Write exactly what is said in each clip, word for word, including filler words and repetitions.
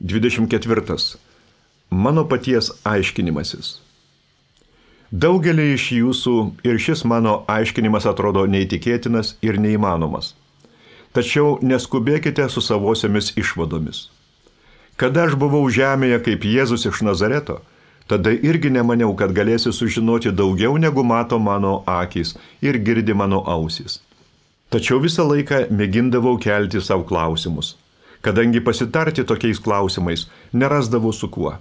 dvidešimt ketvirtas. Mano paties aiškinimasis. Daugelį iš jūsų ir šis mano aiškinimas atrodo neįtikėtinas ir neįmanomas. Tačiau neskubėkite su savosiamis išvadomis. Kada aš buvau žemėje kaip Jėzus iš Nazareto, tada irgi nemaniau, kad galėsiu sužinoti daugiau negu mato mano akys ir girdi mano ausys. Tačiau visą laiką mėgindavau kelti savo klausimus, kadangi pasitarti tokiais klausimais nerasdavau su kuo.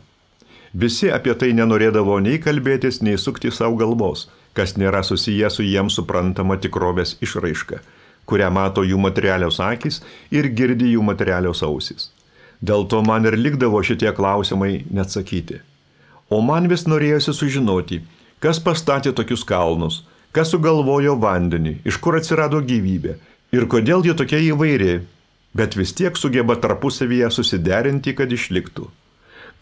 Visi apie tai nenorėdavo nei kalbėtis, nei sukti savo galvos, kas nėra susiję su jiems suprantama tikrovės išraiška, kurią mato jų materialios akys ir girdi jų materialios ausys. Dėl to man ir likdavo šitie klausimai neatsakyti. O man vis norėjosi sužinoti, kas pastatė tokius kalnus, kas sugalvojo vandenį, iš kur atsirado gyvybė ir kodėl ji tokia įvairi, bet vis tiek sugeba tarpusavyje susiderinti, kad išliktų.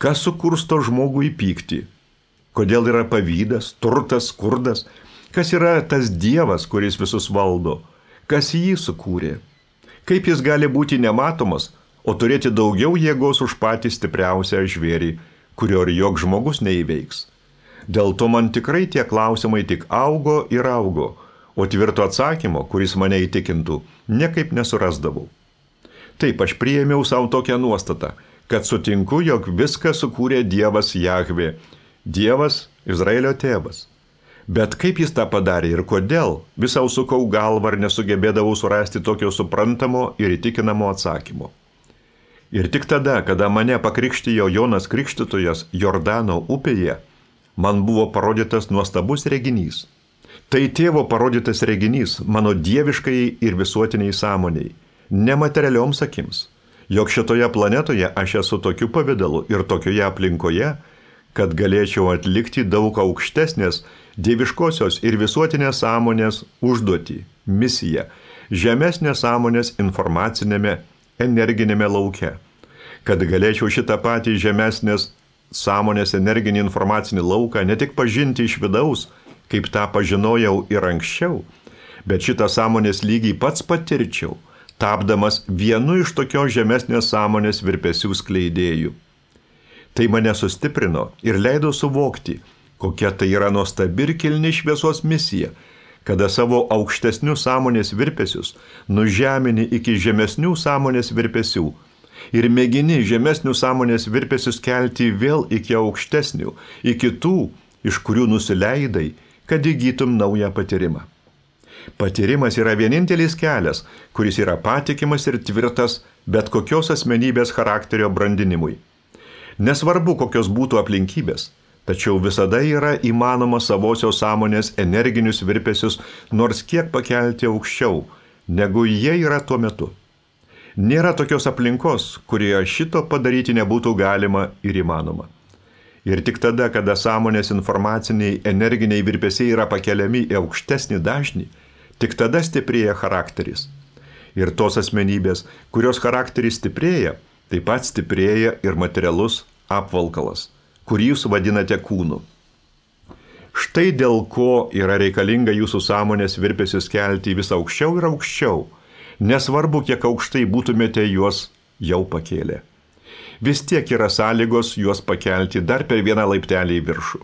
Kas sukursto žmogų į pyktį, kodėl yra pavydas, turtas, skurdas, kas yra tas Dievas, kuris visus valdo, kas jį sukūrė, kaip jis gali būti nematomas, o turėti daugiau jėgos už patį stipriausią žvėrį, kurio ir joks žmogus neįveiks. Dėl to man tikrai tie klausimai tik augo ir augo, o tvirto atsakymo, kuris mane įtikintų, niekaip nesurasdavau. Taip aš priėmiau savo tokią nuostatą, kad sutinku, jog viską sukūrė Dievas Jahvė, Dievas Izraelio tėvas. Bet kaip jis tą padarė ir kodėl, visau sukau galvą ir nesugebėdavau surasti tokio suprantamo ir įtikinamo atsakymo. Ir tik tada, kada mane pakrikštijo Jonas Krikštytojas Jordano upėje, man buvo parodytas nuostabus reginys. Tai tėvo parodytas reginys mano dieviškai ir visuotiniai sąmoniai, nematerialioms akims, jog šitoje planetoje aš esu tokiu pavidalu ir tokioje aplinkoje, kad galėčiau atlikti daug aukštesnės dieviškosios ir visuotinės sąmonės užduotį, misiją, žemesnės sąmonės informacinėme, energinėme lauke, kad galėčiau šitą patį žemesnės sąmonės energinį informacinį lauką ne tik pažinti iš vidaus, kaip tą pažinojau ir anksčiau, bet šitą sąmonės lygį pats patirčiau, tapdamas vienu iš tokios žemesnės sąmonės virpesių skleidėjų. Tai mane sustiprino ir leido suvokti, kokia tai yra nuostabi ir kilni šviesos misija, kada savo aukštesnius sąmonės virpesius nužemini iki žemesnių sąmonės virpesių ir mėgini žemesnių sąmonės virpesius kelti vėl iki aukštesnių, iki tų, iš kurių nusileidai, kad įgytum naują patyrimą. Patyrimas yra vienintelis kelias, kuris yra patikimas ir tvirtas bet kokios asmenybės charakterio brandinimui. Nesvarbu, kokios būtų aplinkybės, tačiau visada yra įmanoma savosios sąmonės energinius virpesius nors kiek pakelti aukščiau, negu jie yra tuo metu. Nėra tokios aplinkos, kurioje šito padaryti nebūtų galima ir įmanoma. Ir tik tada, kada sąmonės informaciniai energiniai virpesiai yra pakeliami į aukštesnį dažnį, tik tada stiprėja charakteris. Ir tos asmenybės, kurios charakteris stiprėja, taip pat stiprėja ir materialus apvalkalas, kurį jūs vadinate kūnu. Štai dėl ko yra reikalinga jūsų sąmonės virpesius kelti vis aukščiau ir aukščiau, nesvarbu, kiek aukštai būtumėte juos jau pakėlę. Vis tiek yra sąlygos juos pakelti dar per vieną laiptelį į viršų.